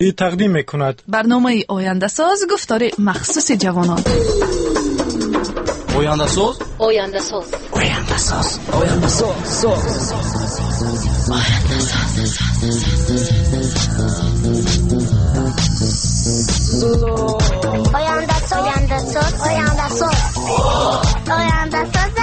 Тақдим мекунад. Барномаи Ояндасоз, гуфтори махсуси ҷавонон. Ояндасоз, Ояндасоз, Ояндасоз, Ояндасоз, соз. Ояндасоз, Ояндасоз, Ояндасоз, Ояндасоз.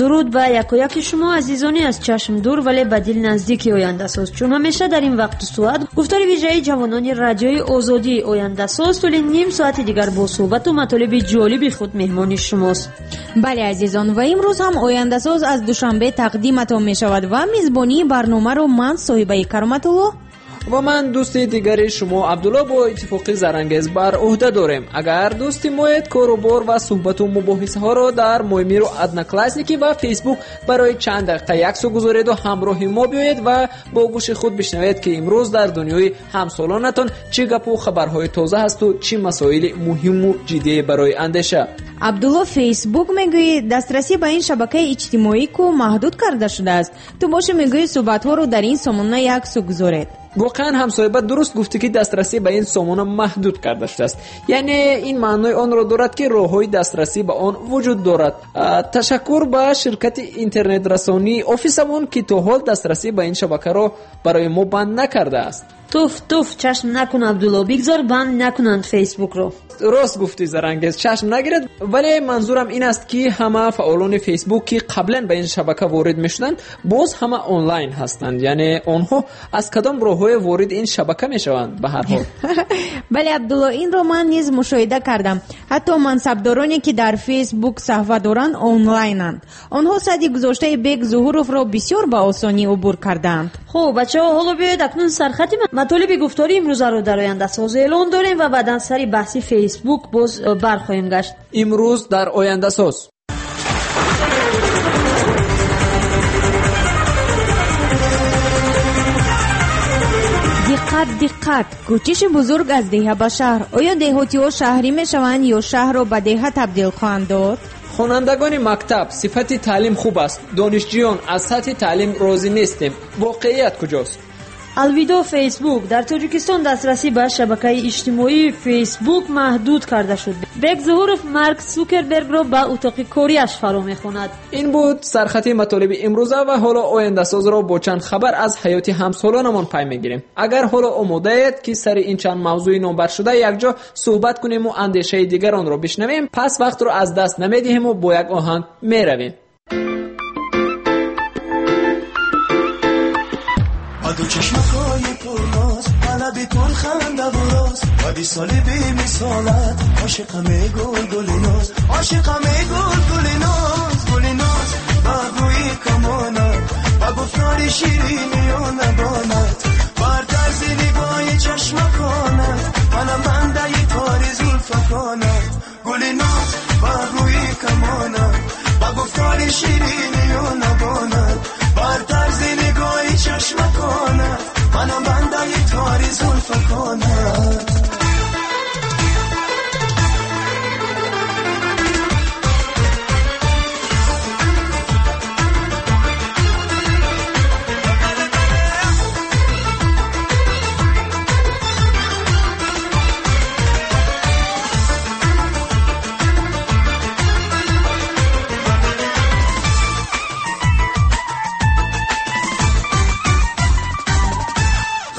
Дуруд ба якояки шумо, азизони аз чашм дур, вале ба дил наздики Ояндасоз. Чун ҳамеша дар ин вақту соат гуфтори вижаи ҷавонони радиои Озодии Ояндасоз тӯли ним соати дигар бо суҳбату матолиби ҷолиби худ меҳмони шумост. Бале, азизон, ва имрӯз ҳам Ояндасоз аз Душанбе тақдиматон мешавад ва мизбонии барномаро ман, Соҳибаи Кароматулло, ва ман, дӯсти дигари шумо, Абдулло, бо иттифоқи Зарангез бар уҳда дорем. Агар дӯсти моед, кору бор ва суҳбату мубоҳисаҳоро дар Моймиру Одноклассники ва Фейсбук барои чанд дақиқа яксӯ гузореду ҳамроҳи мо биёед ва бо гӯши худ бишнавед, ки имрӯз дар дунёи ҳамсолонатон чӣ гапу хабарҳои тоза ҳасту чӣ масоили муҳиму ҷиддие барои андеша. Абдулло, Фейсбук мегӯӣ, дастрасӣ ба ин шабакаи иҷтимоӣ ку маҳдуд карда шудааст. Ту боши мегӯӣ, суҳбатҳоро дар ин сомона яксӯ гузоред. Воқеан ҳам, Соҳиба, дуруст гуфтӣ, ки дастрасӣ ба ин сомона маҳдуд карда шудааст. Яъне ин маънои онро дорад, ки роҳҳои дастрасӣ ба он вуҷуд дорад. Ташаккур ба ширкати интернетрасонии офисамон, ки то ҳол дастрасӣ ба ин шабакаро барои мо банд накардааст. Туф, туф, чашм накун, Абдулло, бигзор банд накунанд Фейсбукро. Рост гуфтӣ, Зарангез, чашм нагирад, вале манзурам ин аст, ки ҳама фаъолони Фейсбук, ки қаблан ба ин шабака ворид мешуданд, боз ҳама онлайн ҳастанд. Яъне онҳо аз кадом роҳҳое ворид ин шабака мешаванд, ба ҳар ҳол? Бале, Абдулло, инро ман низ мушоҳида кардам. Ҳатто мансабдороне, ки дар Фейсбук саҳфа доранд, онлайнанд. Онҳо садди гузоштаи Бек Зуҳуровро бисёр ба осонӣ убур кардаанд. Хуб, бачаҳо, ҳоло биёед акнун сархати матолиби гуфтори имрӯзаро дар Ояндасоз эълон дорем ва баъдан сари баҳси Фейсбук боз бархоҳем гашт. Имрӯз дар Ояндасоз: Диққат, диққат! Кӯчиши бузург аз деҳа ба шаҳр. Оё деҳотиҳо шаҳрӣ мешаванд ё шаҳрро ба деҳа табдил хоҳанд дод? Хонандагони мактаб: сифати таълим хуб аст, донишҷӯён: аз сатҳи таълим розӣ нестем, воқеият куҷост? Алвидо Фейсбук. Дар Тоҷикистон дастрасӣ ба шабакаи иҷтимоии Фейсбук маҳдуд карда шуд. Бек Зуҳуров Марк Сукербергро ба утоқи кориаш фаро мехонад. Ин буд сархати матолиби имрӯза ва ҳоло Ояндасозро бо чанд хабар аз ҳаёти ҳамсолонамон пай мегирем. Агар ҳоло омодаед, ки сари ин чанд мавзӯи номбаршуда якҷо суҳбат кунему андешаи дигаронро бишнавем, пас вақтро аз даст намедиҳему бо як оҳанг меравем. Ду чашмакҳои пурноз, лаби пурхандаву роз, ва висоли бемисолат, ошиқаме, гул, гули ноз, ошиқаме, гул, гули ноз, гули ноз, ба абрӯи камонат, ба гуфтори ширинию лабонат, бар тарзи нигоҳи чашмаконат, манам бандаи тори зулфаконат. Гули ноз, ба абрӯи камонат, ба гуфтори ширинию лабонат, бар тарзи нигоҳи чашмаконат, манам бандаи тори зулфаконат.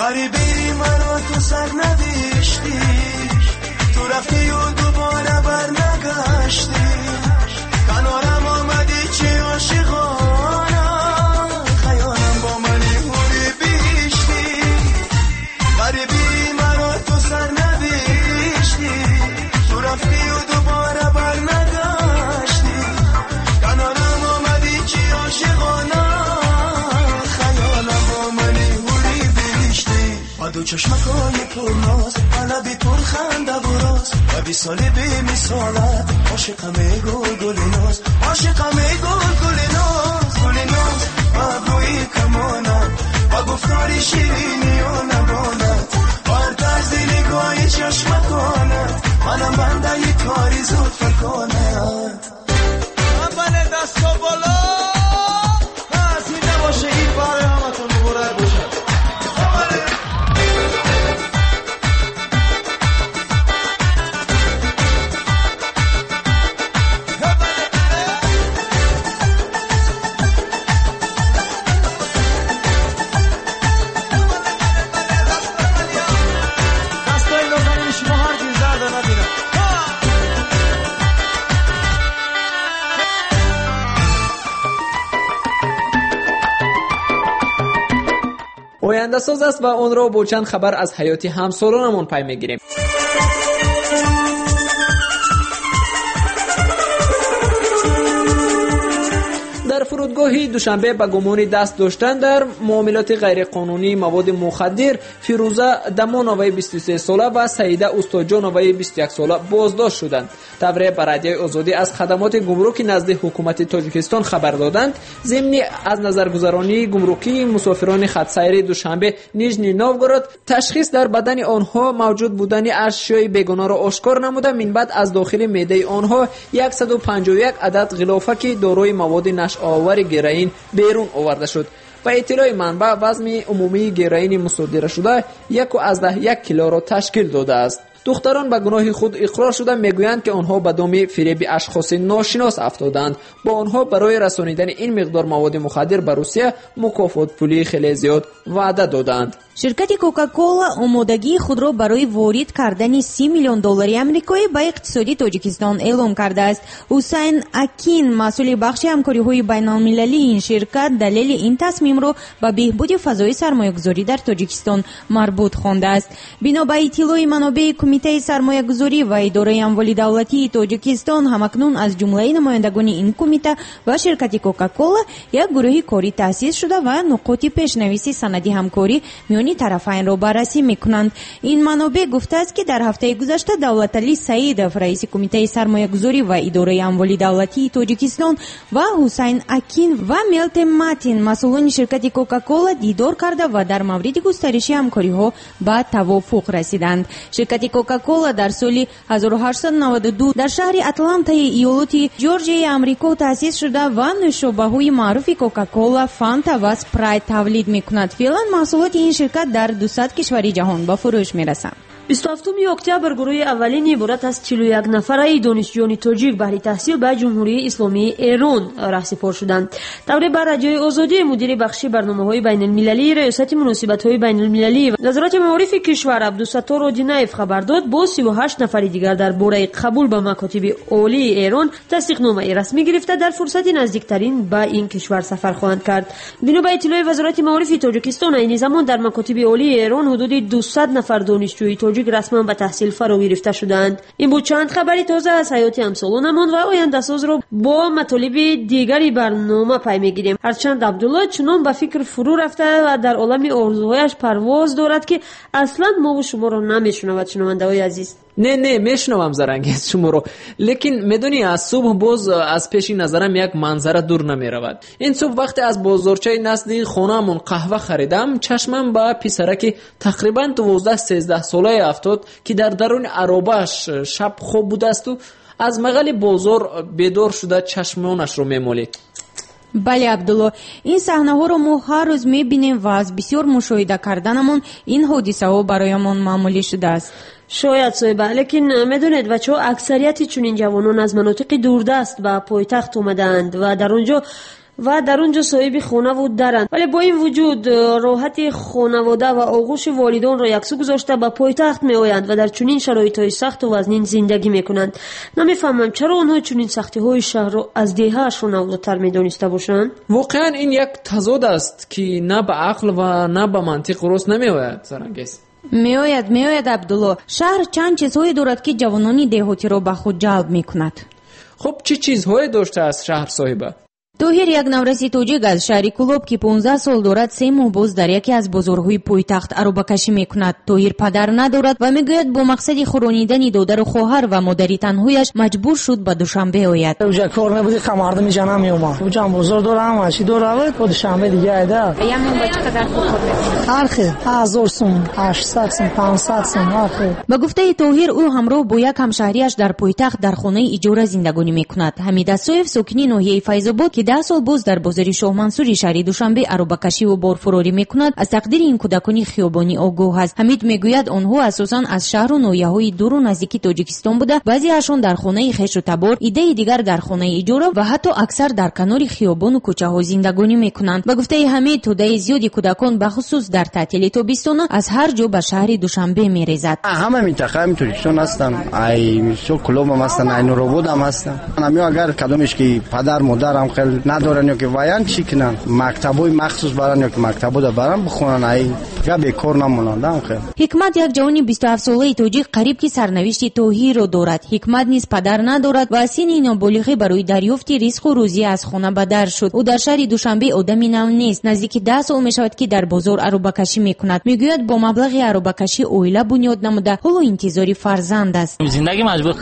غریبی مرا تو سر نوشتی، تو رفتی و دوباره بر نگشتی، کنارم آمدی چه عاشقانه، خیالم با منی حوری بیشتی. غریبی مرا تو سر نوشتی، تو رفتی و دوباره بر نگشتی، کنارم آمدی چه عاشقانه، خیالم با منی حوری بیشتی. با دو چشمکای پرناز، لبی پرخنده و راز، و وصال بی‌مثالت، عاشقمه، گل، گل ناز، عاشقمه، گل، گل ناز، گل ناز، با ابروی کمانت، با گفتار شیرینی و لبانت، بر طرز نگاه چشمکانت منم بنده ی تاری زلفکانت اول دستا بالا از این نباشه این برای همتون مبارک باشه. ояндасоз аст ва онро бо чанд хабар аз ҳаёти ҳамсолонамон пай мегирем. Дар фурудгоҳи Душанбе ба гумони даст доштан дар муомилоти ғайриқонунии маводи мухаддир Фирӯза Дамоноваи 23 сола ва Саида Устоҷоноваи 21 сола боздошт шуданд. Тавре ба Радиои Озодӣ аз хадамоти гумруки назди ҳукумати Тоҷикистон хабар доданд, зимни аз назаргузаронии гумрукии мусофирони хатсайри Душанбе Нижний Новгород ташхис дар бадани онҳо мавҷуд будани ашёи бегонаро ошкор намуда, минбаъд аз дохили меъдаи онҳо 151 адад ғилофаки дорои маводи нашъаовари героин берун оварда шуд. Ба иттилои манбаъ, вазни умумии героини мусодирашуда 1,1 килоро ташкил додааст. Духтарон ба гуноҳи худ иқрор шуда мегӯянд, ки онҳо ба доми фиреби ашхоси ношинос афтодаанд. Бо онҳо барои расонидани ин миқдор маводи мухаддир ба Русия мукофотпулии хеле зиёд ваъда додаанд. Ширкати Кока-Кола омодагии худро барои ворид кардани 30 миллион доллари амрикоӣ ба иқтисоди Тоҷикистон эълон кардааст. Ҳусайн Акин, масъули бахши ҳамкориҳои байналмилалии ин ширкат, далели ин тасмимро ба беҳбуди фазои сармоягузорӣ дар Тоҷикистон марбут хондааст. Бино ба иттилои манобеи Кумитаи сармоягузорӣ ва идораи амволи давлатии Тоҷикистон, ҳамакнун аз ҷумлаи намояндагони ин кумита ва ширкати Кока-Кола як гурӯҳи корӣ таъсис шуда ва нуқоти пешнависи санади ҳамкорӣ миёни тарафайнро баррасӣ мекунанд. Ин манобеъ гуфтааст, ки дар ҳафтаи гузашта Давлаталӣ Саидов, раиси Кумитаи сармоягузорӣ ва идораи амволи давлатии Тоҷикистон, ва Ҳусайн Акин ва Мелте Матин, масъулони ширкати Кока-Кола, дидор карда ва дар мавриди густариши ҳамкориҳо ба тавофуқ расиданд. Ширкати Кока-Кола дар соли 1892 дар шаҳри Атлантаи иёлоти Ҷорҷияи Амрико таъсис шуда ва нӯшобаҳои маъруфи Кока-Кола, Фанта ва Спрайт тавлид мекунад. Феълан маҳсулоти ин ширкат дар 200 кишвари ҷаҳон ба фурӯш мерасанд. 27 октябр гурӯҳи аввалин иборат аз 41 нафараи донишҷӯёни тоҷик баҳри таҳсил ба Ҷумҳурии Исломии Эрон раҳсипор шуданд. Тавре ба Радиои Озодӣ мудири бахши барномаҳои байналмилалии Раёсати муносибатҳои байналмилалӣ ва Назорати маорифи кишвар Абдусаттор Одинаев хабар дод, бо 38 нафари дигар дар бораи қабул ба макотиби олии Эрон тасдиқномаи расмӣ гирифта дар фурсати наздиктарин ба ин кишвар сафар хоҳанд кард. Бино ба иттилои Вазорати маорифи Тоҷикистон, айни замон дар макотиби олии Эрон ҳудуди 200 нафар донишҷӯи тоҷик расман ба таҳсил фаро гирифта шудаанд. Ин буд чанд хабари тоза аз ҳаёти ҳамсолонамон ва ояндасозро бо матолиби дигари барнома пай мегирем. Ҳарчанд Абдулло чунон ба фикр фурӯ рафта ва дар олами орзуҳояш парвоз дорад, ки аслан мову шуморо намешунавад. Шунавандаҳои азиз, не, мешунавам Зарангез шуморо, лекин медонӣ, аз субҳ боз аз пеши назарам як манзара дур намеравад. Ин субҳ вақте аз бозорчаи назди хонаамон қаҳва харидам, чашмам ба писараки тақрибан 12-13 солае афтод, ки дар даруни аробааш шаб хоб будаасту аз мағали бозор бедор шуда чашмонашро мемолид. Бале, Абдулло, ин саҳнаҳоро мо ҳар рӯз мебинем ва аз бисёр мушоҳида карданамон ин ҳодисаҳо бароямон маъмулӣ шудааст. Шояд, соҳиба, лекин медонед, бачаҳо, аксарияти чунин ҷавонон аз манотиқи дурдаст ба пойтахт омадаанд ва дар он ҷо соҳиби хонаву даранд, вале бо ин вуҷуд роҳати хонавода ва оғӯши волидонро яксӯ гузошта ба пойтахт меоянд ва дар чунин шароитҳои сахту вазнин зиндагӣ мекунанд. Намефаҳмам, чаро онҳо чунин сахтиҳои шаҳрро аз деҳаашон авлотар медониста бошанд. Воқеан ин як тазод аст, ки на ба ақл ва на ба мантиқ рост намеояд, Зарангез. Меояд, Абдулло. Шаҳр чанд чизҳое дорад, ки ҷавонони деҳотиро ба худ ҷалб мекунад. Хуб, чӣ чизҳое доштааст шаҳр, соҳиба? Тоҳир як навраси тоҷик аз шаҳри Кӯлоб, ки 15 сол дорад, 3 моҳ боз дар яке аз бозорҳои пойтахт аробакашӣ мекунад. Тоҳир падар надорад ва мегӯяд, бо мақсади хӯронидани додару хоҳар ва модари танҳояш маҷбур шуд ба Душанбе ояд. Уҷа кор набуди, мардуми ҷа намеомад. Уҷам бозор дора, ҳама чӣ дора, бо Душанбе дига айда. Як моҳ ба чӣ қадар пул кор мекунад? Ҳар хел, 1000 сум, 800 сум, 500 сум, ҳар хел. Ба гуфтаи Тоҳир, ӯ ҳамроҳ бо як ҳамшаҳрияш дар пойтахт дар хонаи иҷора зиндагонӣ мекунад. Ҳамид Асоев, сокини ноҳияи Файзобод, ки 10 сол боз дар бозори Шоҳмансури шаҳри Душанбе аробакашиву борфурорӣ мекунад, аз тақдири ин кӯдакони хиёбонӣ огоҳ аст. Ҳамид мегӯяд, онҳо асосан аз шаҳру ноҳияҳои дуру наздики Тоҷикистон буда, баъзеашон дар хонаи хешу табор, иддаи дигар дар хонаи иҷора ва ҳатто аксар дар канори хиёбону кӯчаҳо зиндагонӣ мекунанд. Ба гуфтаи Ҳамид, тӯдаи зиёди кӯдакон бахусус дар таътили тобистона аз ҳар ҷо ба шаҳри Душанбе мерезад. Ҳама минтақаи Тоҷикистон ҳастанд, ай мисол Кӯлобам ҳастанд, ай Нурободам ҳастанд. Ҳамиё агар кадомеш ки падар модарам хел надоранд ё ки ваян чӣ кунанд, мактабҳои махсус баранд ё ки мактабҳода баранд бихонанд, ай фақат бекор намонанд. Хел Ҳикмат як ҷавони 27-солаи тоҷик қариб ки сарнавишти Тоҳирро дорад. Ҳикмат низ падар надорад ва аз синни ноболиғӣ барои дарёфти ризқу рӯзӣ аз хона ба дар шуд. Ӯ дар шаҳри Душанбе одами нав нест. Наздики 10 сол мешавад, ки дар бозор аробакашӣ мекунад. Мегӯяд, бо маблағи аробакашӣ оила бунёд намуда, ҳоло интизори фарзанд аст. Зиндагӣ маҷбур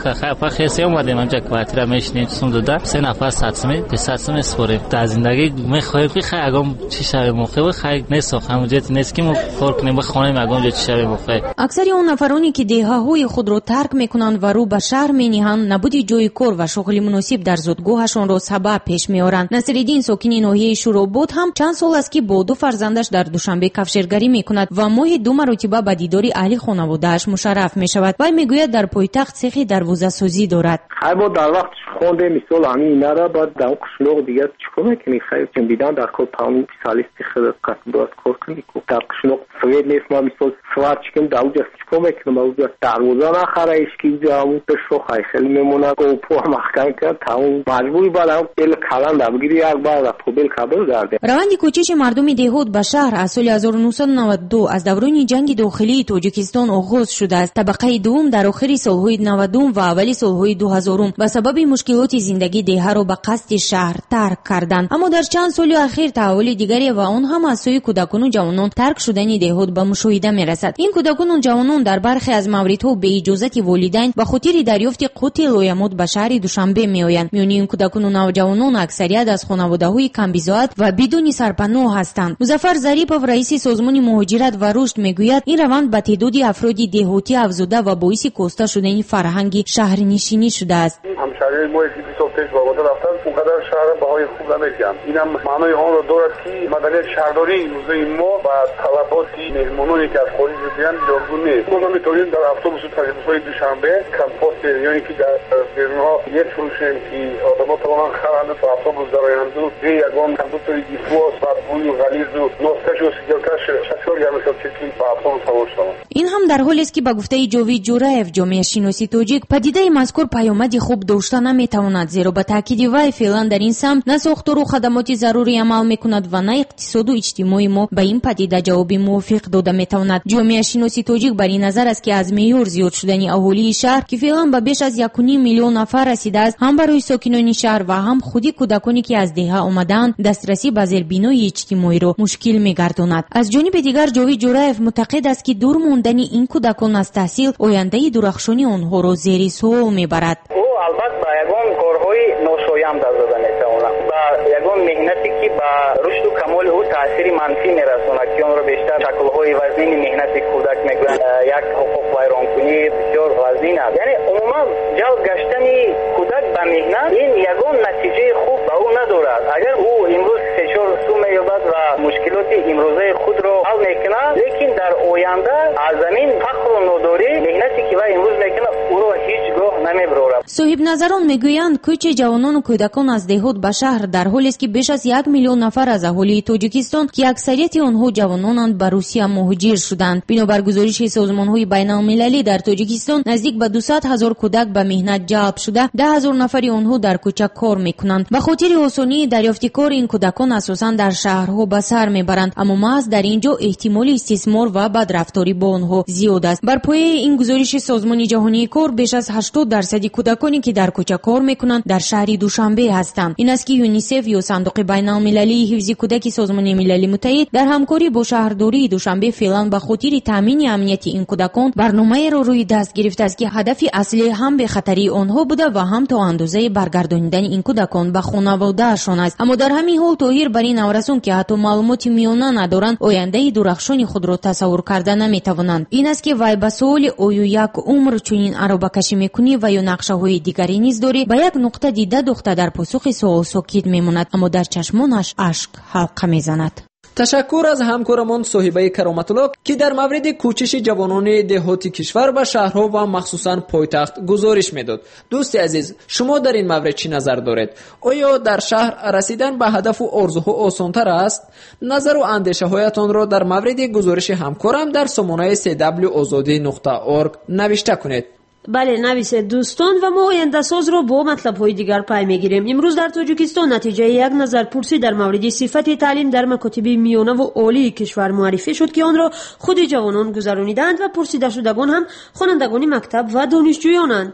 хесе омадем, ҳамҷа квартира мешинем, сум дода, 3 нафар 100 сум, 500 сум месупорем. Дар зиндагӣ мехоҳем ки хай ягон чӣ шавем, мохе хай несох, ҳамуҷати нест ки мо кор кунем, бихонем ягон ҷо чӣ шавем мохе. Аксари он нафароне ки деҳаҳои худро тарк мекунанд ва рӯ ба шаҳр мениҳанд, набуди ҷои кор ва шуғли муносиб дар зодгоҳашонро сабаб пеш меоранд. Насриддин, сокини ноҳияи Шӯробод, ҳам чанд сол аст, ки бо 2 фарзандаш дар Душанбе кафшергарӣ мекунад ва моҳи 2 маротиба ба дидори аҳли хонаводааш мушарраф мешавад. Вай мегӯяд, дар пойтахт сехи дарвозасозӣ дорад. Хай бо дар вақт хондем, мисол ҳамин инара, баъд дар қишлоқ дигар чӣ кор мекунӣ? Хай дидан дар кор тамом специалисти худ бояд кор кунӣ. Дар қишлоқ свет нест, ман мисол сварчикам дар уҷа чӣ кор мекунам? Уҷа дарвоза нахара, ҳеҷ уҷа ҳамун шох ай хеле мемонад, опо маҳкам кард, тамом маҷбурӣ баъд ҳам бел каланда бигирӣ, як баъд побел кабел гарде. Раванди кӯчиши мардуми деҳот ба шаҳр аз соли 1992 аз даврони ҷанги дохилии Тоҷикистон оғоз шудааст. Табақаи дуввум дар охири солҳои 90 ва аввали солҳои 2000 ба сабаби мушкилоти зиндагӣ деҳаро ба қасди шаҳр тарк карданд. Аммо дар чанд соли ахир таҳаввули дигаре ва он ҳам аз сӯи кӯдакону ҷавонон тарк шудани деҳот ба мушоҳида мерасад. Ин кӯдакону ҷавонон дар бархе аз мавридҳо бе иҷозати волидайн ба хотири дарёфти қути лоямот ба шаҳри Душанбе меоянд. Миёни ин кӯдакону навҷавонон аксарият аз хонаводаҳои камбизоат ва бидуни сарпаноҳ ҳастанд. Музаффар Зарипов, раиси созмони муҳоҷират ва рушд, мегӯяд, ин раванд ба теъдоди афроди деҳотӣ афзуда ва боиси коста шудани фарҳанги шаҳрнишинӣ шудааст. Ҳамшаҳриҳои мо ки 20 сол пеш ба ватан рафтанд, он қадар шаҳрро баҳои хуб намедиҳанд. Инам маънои онро дорад, ки маданияти шаҳрдории имрӯзаи мо ба талаботи меҳмононе ки аз хориҷ меоянд ҷавобгӯ нест. Мо наметавонем дар автобусу троллейбусҳои Душанбе компостер ё ин ки дар берунҳо мефурӯшем, ки одамҳо тавонанд харанд, ба автобус дароянду бе ягон кондуктори ифлос, бадбӯю ғализу носкашу сиделкаш шофёри ҳамешон чиз ки ба автобус савор шаванд. Ин ҳам дар ҳолест, ки ба гуфтаи Ҷовид Ҷӯраев, ҷомеашиноси тоҷик, падидаи мазкур паёмади хуб дошта наметавонад, зеро ба таъкиди вай феълан дар ин самт на сохтору хадамоти зарурӣ амал мекунад ва на иқтисоду иҷтимои мо ба ин падида ҷавоби мувофиқ дода метавонад. Ҷомеашиноси тоҷик бар ин назар аст, ки аз меъёр зиёд шудани аҳолии шаҳр, ки феълан ба беш аз 1,5 миллион нафар расидааст, ҳам барои сокинони шаҳр ва ҳам худи кӯдаконе ки аз деҳа омадаанд, дастрасӣ ба зербинои иҷтимоиро мушкил мегардонад. Аз ҷониби дигар, Ҷовид Ҷӯраев мутақид аст, ки дур мондани ин кӯдакон аз таҳсил ояндаи дурахшони онҳоро зери суол мебарад. Ӯ албатта ба ягон корҳои ношоям даст дода метавонад, ба ягон меҳнате ки ба рушду камоли ӯ таъсири манфӣ мерасонад, ки онро бештар шаклҳои вазнини меҳнати кӯдак мегӯянд, як ҳуқуқвайронкунӣ бисёр вазнин аст. Яъне умуман ҷалб гаштани кӯдак ба меҳнат ин ягон натиҷаи хуб ба ӯ надорад. Агар ӯ имрӯз 3-4 сум меёбад ва мушкилоти имрӯзаи худро ҳал мекунад, лекин дар оянда аз замин фақру нодорӣ меҳнате ки вай имрӯз мекунад ӯро ҳеҷ гоҳ намебарорад. Соҳибназарон мегӯянд, кӯчи ҷавонону кӯдакон аз деҳот ба шаҳр дар ҳолест, ки беш аз 1 миллион нафар аз аҳолии Тоҷикистон, ки аксарияти онҳо ҷавононанд, ба Русия муҳоҷир шуданд. Бинобар гузориши созмонҳои байналмилалӣ, дар Тоҷикистон наздик ба 200 ҳазор кӯдак ба меҳнат ҷалб шуда, 10 ҳазор нафари онҳо дар кӯча кор мекунанд. Ба хотири осонии дарёфти кор ин кӯдакон асосан дар шаҳрҳо ба сар мебаранд, аммо маҳз дар ин ҷо эҳтимоли истисмор ва бадрафторӣ бо онҳо зиёд аст. Бар пояи ин гузориши Созмони ҷаҳонии кор, беш аз 80% дарсади кӯдаконе ки дар кӯча кор мекунанд, дар шаҳри Душанбе ҳастанд. Ин аст, ки ЮНИСЕФ ё Сандуқи байналмилалии ҳифзи кӯдаки Созмони Милали Муттаҳид дар ҳамкорӣ бо шаҳрдории Душанбе феълан ба хотири таъмини амнияти ин кӯдакон барномаеро рӯи даст гирифтааст, ки ҳадафи аслӣ ҳам бехатарии онҳо буда ва ҳам то андозаи баргардонидани ин кӯдакон ба хонаводаашон аст. Аммо дар ҳамин ҳол Тоҳир бар ин наврасон, ки ҳатто маълумоти миёна надоранд, ояндаи дурахшони худро тасаввур карда наметавонанд. Ин аст, ки вай ба суоли оё як умр чунин аробакашӣ мекунӣ ва ё нақшаҳои дигаре низ дорӣ, ба як нуқта дида духта дар посухи суол сокит мемонад, аммо дар чашмонаш ашк ҳалқа мезанад. Ташаккур аз ҳамкорамон Соҳибаи Кароматулло, ки дар мавриди кӯчиши ҷавонони деҳоти кишвар ба шаҳрҳо ва махсусан пойтахт гузориш медод. Дӯсти азиз, шумо дар ин маврид чӣ назар доред? Оё дар шаҳр расидан ба ҳадафу орзуҳо осонтар аст? Назару андешаҳоятонро дар мавриди гузориши ҳамкорам дар сомонаи cw озодӣ нуқта орг навишта кунед. Бале, нависед дӯстон, ва мо ояндасозро бо матлабҳои дигар пай мегирем. Имрӯз дар Тоҷикистон натиҷаи як назарпурсӣ дар мавриди сифати таълим дар макотиби миёнаву олии кишвар муаррифӣ шуд, ки онро худи ҷавонон гузаронидаанд ва пурсидашудагон ҳам хонандагони мактаб ва донишҷӯёнанд.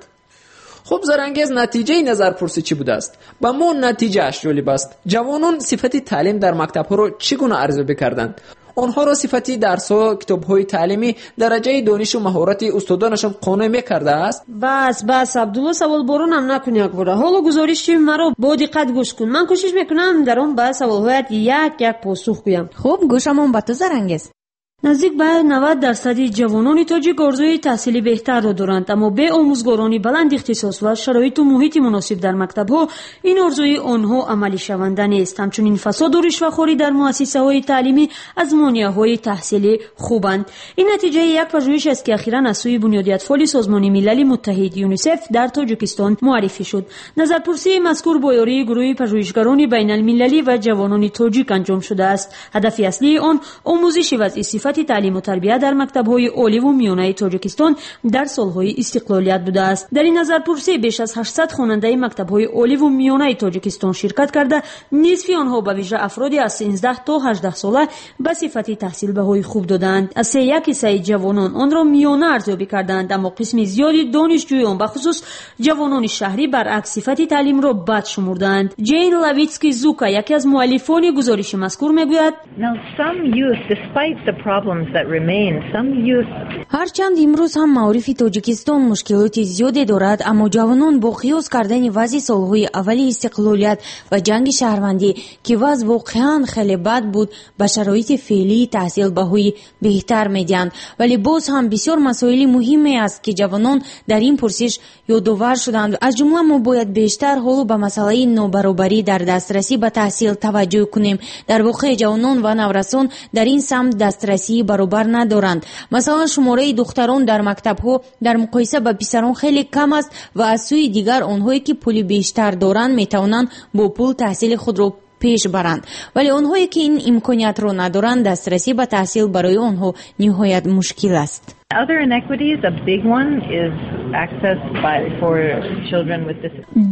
Хуб, Зарангез, натиҷаи назарпурсӣ чӣ будааст? Ба мо натиҷааш ҷолиб аст. Ҷавонон сифати таълим дар мактабҳоро чӣ гуна арзёбӣ карданд? Онҳоро сифати дарсҳо, китобҳои таълимӣ, дараҷаи донишу маҳорати устодонашон қонеъ мекардааст? Бас, бас, Абдулло, саволборонам накун якбора. Ҳоло гузориши маро бо диққат гӯш кун. Ман кӯшиш мекунам дар он ба саволҳоят як як посух гӯям. Хуб, гӯшамон ба ту, Зарангез. Наздик ба 90% ҷавонони тоҷик орзуи таҳсили беҳтарро доранд, аммо бе омӯзгорони баланд ихтисос ва шароиту муҳити муносиб дар мактабҳо ин орзуи онҳо амалишаванда нест. Ҳамчунин фасоду ришвахорӣ дар муассисаҳои таълимӣ аз монеаҳои таҳсили хубанд. Ин натиҷаи як пажӯҳиш аст, ки ахиран аз сӯи Бунёди атфоли Созмони Милали Муттаҳид ЮНИСЕФ дар Тоҷикистон муаррифӣ шуд. Назарпурсии мазкур бо ёрии гурӯҳи пажӯҳишгарони байналмилалӣ ва ҷавонони тоҷик анҷом шудааст. Ҳадафи аслии он омӯзиши вазъи сифати таълиму тарбия дар мактабҳои оливу миёнаи Тоҷикистон дар солҳои истиқлолият будааст. Дар ин назарпурсӣ беш аз 800 хонандаи мактабҳои оливу миёнаи Тоҷикистон ширкат карда, нисфи онҳо, ба вижа афроди аз 13 то 18 сола, ба сифати таҳсил баҳои хуб додаанд. Аз се як ҳиссаи ҷавонон онро миёна арзёбӣ кардаанд, аммо қисми зиёди донишҷӯён, бахусус ҷавонони шаҳрӣ, баръакс сифати таълимро бад шумурдаанд. Ҷейн Лавитски Зука, яке аз муаллифони гузориши мазкур, мегӯяд: Ҳарчанд имрӯз ҳам маорифи Тоҷикистон мушкилоти зиёде дорад, аммо ҷавонон бо қиёс кардани вазъи солҳои аввали истиқлолият ва ҷанги шаҳрвандӣ, ки вазъ воқеан хеле бад буд, ба шароити феълии таҳсил баҳои беҳтар медиҳанд. Вале боз ҳам бисёр масоили муҳиме аст, ки ҷавонон дар ин пурсиш ёдовар шуданд. Аз ҷумла мо бояд бештар ҳоло ба масъалаи нобаробарӣ дар дастрасӣ ба таҳсил таваҷҷӯҳ кунем. Дар воқеъ ҷавонон ва наврасон дар ин самт дастрасии баробар надоранд. Масалан, шумораи духтарон дар мактабҳо дар муқоиса ба писарон хеле кам аст ва аз сӯи дигар онҳое ки пули бештар доранд, метавонанд бо пул таҳсили худро пеш баранд, вале онҳое ки ин имкониятро надоранд, дастрасӣ ба таҳсил барои онҳо ниҳоят мушкил аст.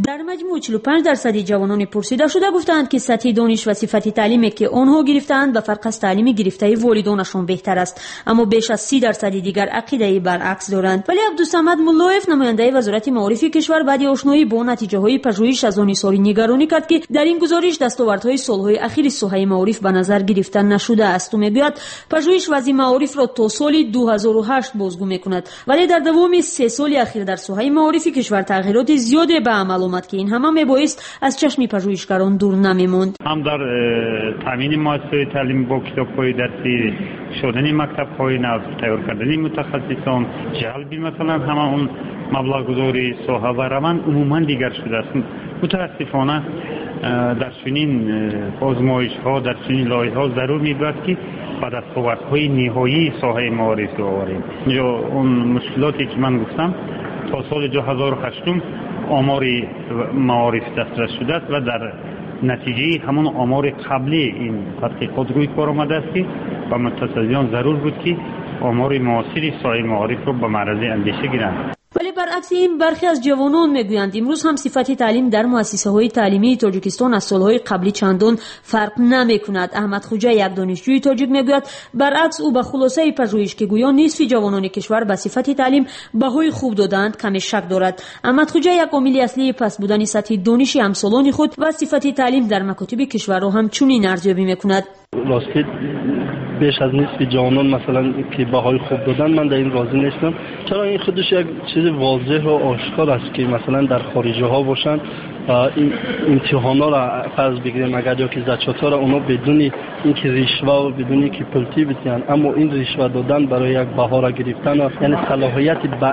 Дар маҷмӯъ 45% ҷавонони пурсидашуда гуфтаанд, ки сатҳи дониш ва сифати таълиме, ки онҳо гирифтаанд, ба фарқ аз таълими гирифтаи волидонашон беҳтар аст, аммо беш аз 30% дигар ақидаи баръакс доранд. Вале Абдусамад Муллоев, намояндаи Вазорати маорифи кишвар, баъди ошноӣ бо натиҷаҳои пажӯҳиш аз он изҳори нигаронӣ кард, ки дар ин гузориш дастовардҳои солҳои ахири соҳаи маориф ба назар гирифта нашудааст. Ӯ мегӯяд, пажӯҳиш вазъи маорифро то соли 2008 бозгӯ мекунад, вале дар давоми 3 соли ахир дар соҳаи маорифи кишвар тағйироти зиёде ба амал омад, ки ин ҳама мебоист аз чашми пажӯҳишгарон дур намемонд. Ҳам дар таъмини муассисаҳои таълимӣ бо китобҳои дарсӣ, шудани мактабҳои нав, тайёр кардани мутахассисон, ҷалби масалан ҳама он маблағгузории соҳа ва раванд умуман дигар шудааст. Мутаассифона дар чунин озмоишҳо, дар чунин лоиҳаҳо зарур мебояд, ки ба дастовардҳои ниҳоии соҳаи маориф оварем. Инҷо он мушкилоте ки ман гуфтам, то соли 2008 омори маориф дастрас шудааст ва дар натиҷаи ҳамон омори қаблӣ ин тадқиқот рӯй кор омадааст, ки ба мутасаддиён зарур буд, ки омори муосири соҳаи маорифро ба маързи андеша гиранд. Вале баръакси ин бархе аз ҷавонон мегӯянд, имрӯз ҳам сифати таълим дар муассисаҳои таълимии Тоҷикистон аз солҳои қаблӣ чандон фарқ намекунад. Аҳмад Хуҷа, як донишҷӯи тоҷик, мегӯяд, баръакс ӯ ба хулосаи пажӯҳиш, ки гӯё нисфи ҷавонони кишвар ба сифати таълим баҳои хуб додаанд, каме шак дорад. Аҳмад Хуҷа як омили аслии паст будани сатҳи дониши ҳамсолони худ ва сифати таълим дар макотиби кишварро ҳам чунин арзёбӣ мекунад. Рости беш аз нисфи ҷавонон масалан ки баҳои хуб доданд, ман дар ин розӣ нестам. Чаро ин худаш як чизи возеҳу ошкор аст, ки масалан дар хориҷиҳо бошанд, ин имтиҳонҳоро фарз бигирем агар ё ки зачётҳоро онҳо бидуни инки ришва ва бидуни инки пултӣ бидиҳанд, аммо ин ришва додан барои як баҳоро гирифтан, яъне салоҳияти ба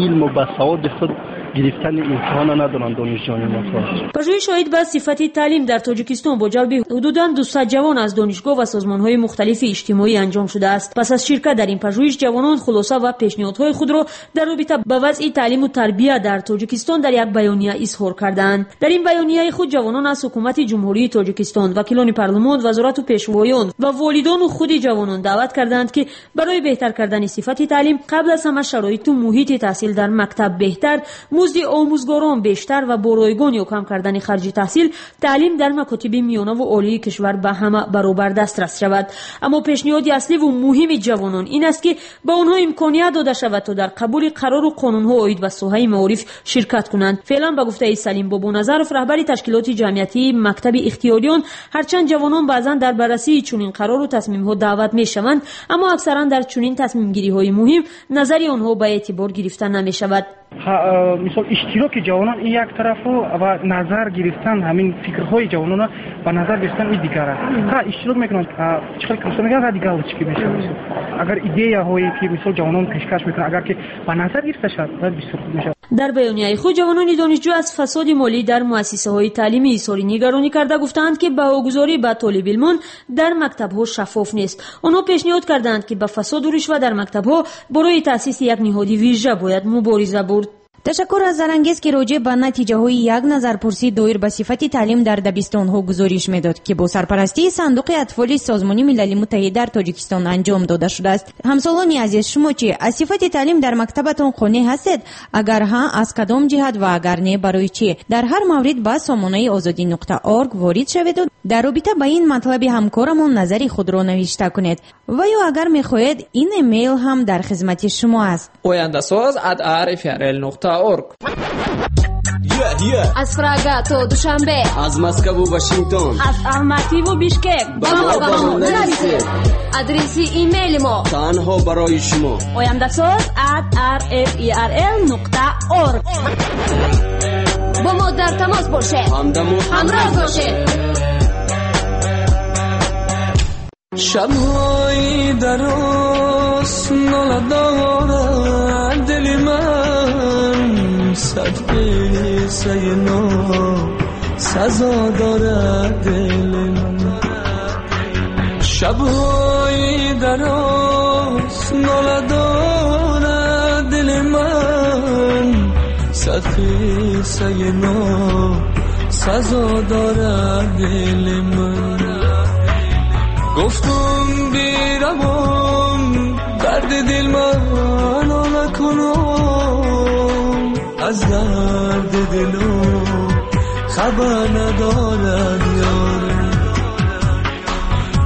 илму ба саводи худ гирифтани имтиҳонро надоранд донишҷӯёни мо. Пажӯҳиш оид ба сифати таълим дар Тоҷикистон бо ҷалби ҳудудан 200 ҷавон аз донишгоҳ ва созмонҳои мухталифи иҷтимоӣ анҷом шудааст. Пас аз ширкат дар ин пажӯҳиш ҷавонон хулоса ва пешниҳодҳои худро дар робита ба вазъи таълиму тарбия дар Тоҷикистон дар як баёния изҳор кардаанд. Дар ин баёнияи худ ҷавонон аз ҳукумати Ҷумҳурии Тоҷикистон, вакилони парлумон, вазорату пешвоён ва волидону худи ҷавонон даъват кардаанд, ки барои беҳтар кардани сифати таълим қабл аз ҳама шароиту муҳити таҳсил дар мактаб беҳтар, музди омӯзгорон бештар ва бо ройгон ё кам кардани харҷи таҳсил, таълим дар макотиби миёнаву олии кишвар ба ҳама баробар дастрас шавад. Аммо пешниҳоди асливу муҳими ҷавонон ин аст, ки ба онҳо имконият дода шавад, то дар қабули қарору қонунҳо оид ба соҳаи маориф ширкат кунанд. Феълан ба гуфтаи Салим Бобоназаров, раҳбари ташкилоти ҷамъиятии мактаби ихтиёриён, ҳарчанд ҷавонон баъзан дар баррасии чунин қарору тасмимҳо даъват мешаванд, аммо аксаран дар чунин тасмимгириҳои муҳим назари онҳо ба эътибор гирифта намешавад. Мисол иштироки ҷавонон ин як тарафу ва назар гирифтан ҳамин фикрҳои ҷавононро ба назар гирифтан ин дигар аст. Ҳа, иштирок мекунанд, чӣ хел мисол мегӯянд, ради галочки мешавад. Агар идеяҳое ки мисол ҷавонон пешкаш мекунанд, агар ки ба назар гирифта шавад, бояд бисёр хуб мешавад. Дар баёнияи худ ҷавонони донишҷӯ аз фасоди молӣ дар муассисаҳои таълимӣ изҳори нигаронӣ карда гуфтаанд, ки баҳогузорӣ ба толибилмон дар мактабҳо шаффоф нест. Онҳо пешниҳод кардаанд, ки ба фасоду ришва дар мактабҳо барои таъсиси як ниҳоди вижа бояд мубориза бурд. Ташаккур аз Зарангез, ки роҷеъ ба натиҷаҳои як назарпурсӣ доир ба сифати таълим дар дабистонҳо гузориш медод, ки бо сарпарастии Сандуқи атфоли Созмони Милали Муттаҳид дар Тоҷикистон анҷом дода шудааст. Ҳамсолони азиз, шумо чӣ аз сифати таълим дар мактабатон қонеъ ҳастед? Агар ҳа, аз кадом ҷиҳат ва агар не, барои чӣ? Дар ҳар маврид ба сомонаи озодӣ.org ворид шаведу дар робита ба ин матлаби ҳамкорамон назари худро навишта кунед. Ва ё агар мехоҳед, ин эмейл ҳам дар хизмати шумо аст. Ояндасоз@rfrl.org. Аз Прага то Душанбе, аз Москву Вашингтон, аз Алмативу Бишкек ба мо нависед. Адреси имейли мо танҳо барои шумо: ояндасоз@rferl.org. Бо мо дар тамос бошед, ҳамдаму ҳамроз бошед. Шабҳои дароз нола дорад дили ман, сад қиссаи носазо дорад дили ман. Шабҳои дароз нола дорад дили ман, сад қиссаи носазо дорад дили ман. Гуфтум биравам, дарди дил ман нола кунам, аз дарди дилам хабар надорад ёрам.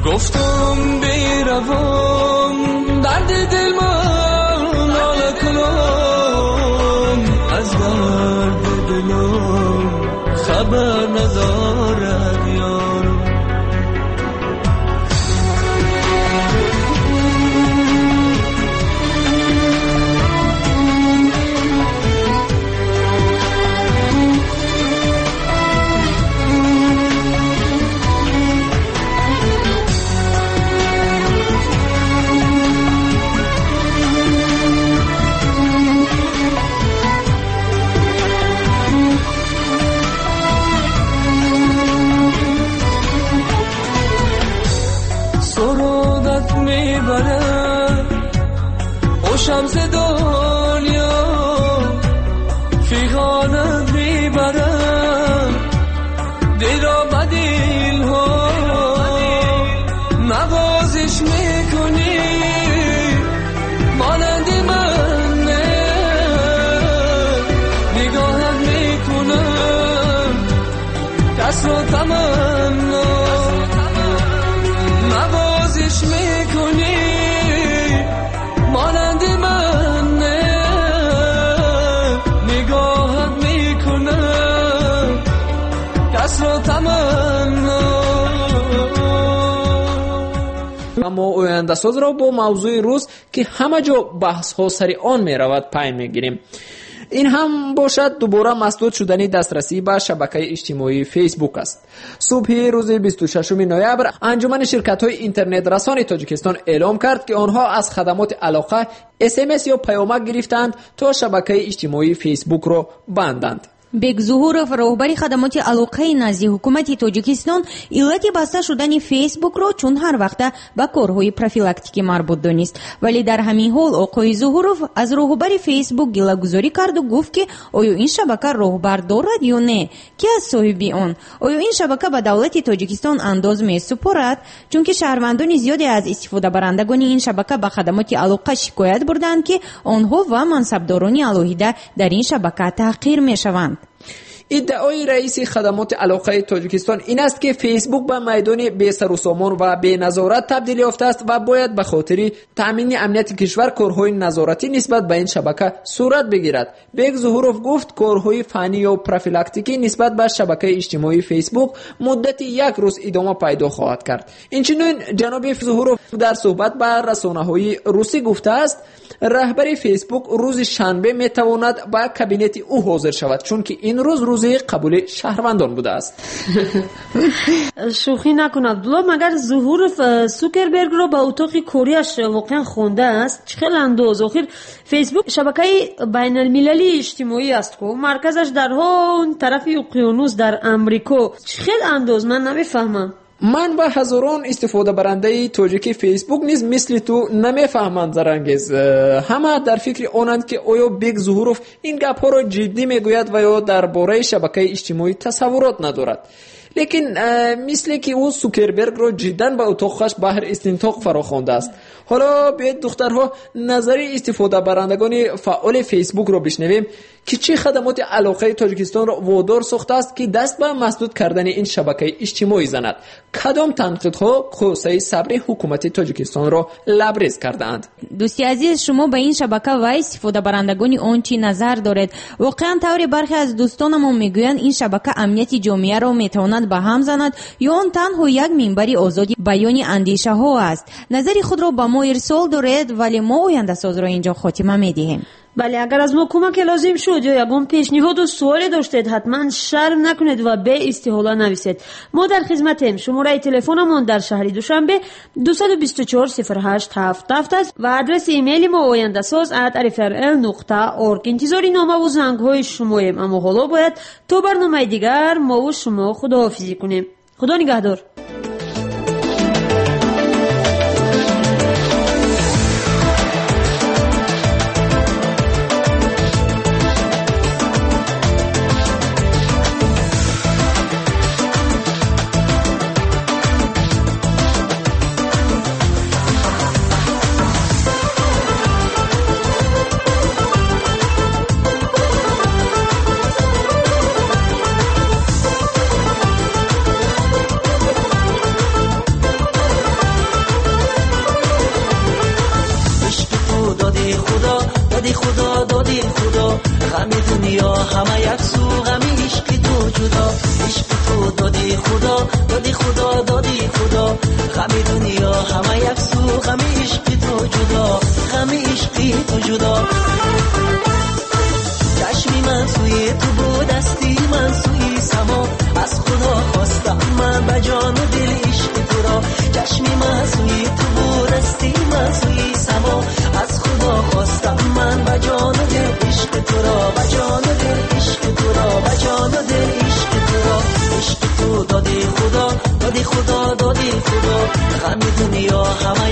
Гуфтум биравам, дарди дил ман нола кунам, аз дарди дилам хабар надорад ёрам. کس را تمنا نوازش میکنی مانند من نه نگاهت میکنه کس را تمنا. Аммо ояндасозро бо мавзӯи рӯз, ки ҳама ҷо баҳсҳо сари он меравад, пай мегирем. Ин ҳам бошад дубора масдуд шудани дастрасӣ ба шабакаи иҷтимоии Фейсбук аст. Субҳи рӯзи 26 ноябр анҷумани ширкатҳои интернетрасони Тоҷикистон эълом кард, ки онҳо аз хадамоти алоқа СМС ё паёмак гирифтаанд, то шабакаи иҷтимоии Фейсбукро банданд. Бек Зуҳуров, роҳбари хадамоти алоқаи назди ҳукумати Тоҷикистон, иллати баста шудани Фейсбукро чун ҳар вақта ба корҳои профилактикӣ марбут донист. Вале дар ҳамин ҳол оқои Зуҳуров аз роҳбари Фейсбук гилагузорӣ карду гуфт, ки оё ин шабака роҳбар дорад ё не, ки аз соҳиби он? Оё ин шабака ба давлати Тоҷикистон андоз месупорад? Чунки шаҳрвандони зиёде аз истифодабарандагони ин шабака ба хадамоти алоқа шикоят бурданд, ки онҳо ва мансабдорони алоҳида дар ин шабака таҳқир мешаванд. Иддаои раиси хадамоти алоқаи Тоҷикистон ин аст, ки Фейсбук ба майдони бесарусомон ва беназорат табдил ёфтааст ва бояд ба хотири таъмини амнияти кишвар корҳои назоратӣ нисбат ба ин шабака сурат бигирад. Бек Зуҳуров гуфт, корҳои фаннӣ ё профилактикӣ нисбат ба шабакаи иҷтимоии Фейсбук муддати як рӯз идома пайдо хоҳад кард. Инчунин ҷаноби Зуҳуров дар суҳбат ба расонаҳои русӣ гуфтааст, раҳбари Фейсбук рӯзи шанбе метавонад ба кабинети ӯ ҳозир шавад, чунки ин рӯз рӯзи қабули шаҳрвандон будааст. Шӯхӣ накун, Абдулло, магар Зуҳуров Сукербергро ба утоқи кориаш воқеан хондааст? Чӣ хел андоз? Охир Фейсбук шабакаи байналмилалии иҷтимоӣ аст ку, марказаш дар он тарафи уқёнус дар Амрико. Чӣ хел андоз? Ман намефаҳмам. Ман ва ҳазорон истифодабарандаи тоҷики Фейсбук низ мисли ту намефаҳманд, Зарангез. Ҳама дар фикри онанд, ки оё Бек Зуҳуров ин гапҳоро ҷиддӣ мегӯяд ва ё дар бораи шабакаи иҷтимоӣ тасаввурот надорад. Лекин мисле ки ӯ Сукербергро ҷиддан ба утоқаш баҳр истинтоқ фарохондааст. Ҳоло биёед, духтарҳо, назари истифодабарандагони фаъоли Фейсбукро бишнавем, ки чӣ хадамоти алоқаи Тоҷикистонро водор сохтааст, ки даст ба масдуд кардани ин шабакаи иҷтимоӣ занад. Кадом танқидҳо косаи сабри ҳукумати Тоҷикистонро лабрез кардаанд? Дӯсти азиз, шумо ба ин шабака ва истифодабарандагони он чӣ назар доред? Воқеан тавре бархе аз дӯстонамон мегӯянд, ин шабака амнияти ҷомеаро метавонад ба ҳам занад ё он танҳо як минбари озоди баёни андешаҳо аст? Назари худро ба мо ирсол доред, вале мо ояндасозро инҷо хотима медиҳем. Бале, агар аз мо кӯмаке лозим шуд ё ягон пешниҳоду суоле доштед, ҳатман шарм накунед ва беистиҳола нависед. Мо дар хизматем. Шумораи телефонамон дар шаҳри Душанбе 224 08 77 аст ва адреси имейли мо ояндасоз@rfrl.org. Интизори номаву зангҳои шумоем, аммо ҳоло бояд то барномаи дигар мову шумо худоҳофизӣ кунем. Худо нигаҳдор. دادی خدا، دادی خدا، دادی خدا، غم دنیا همه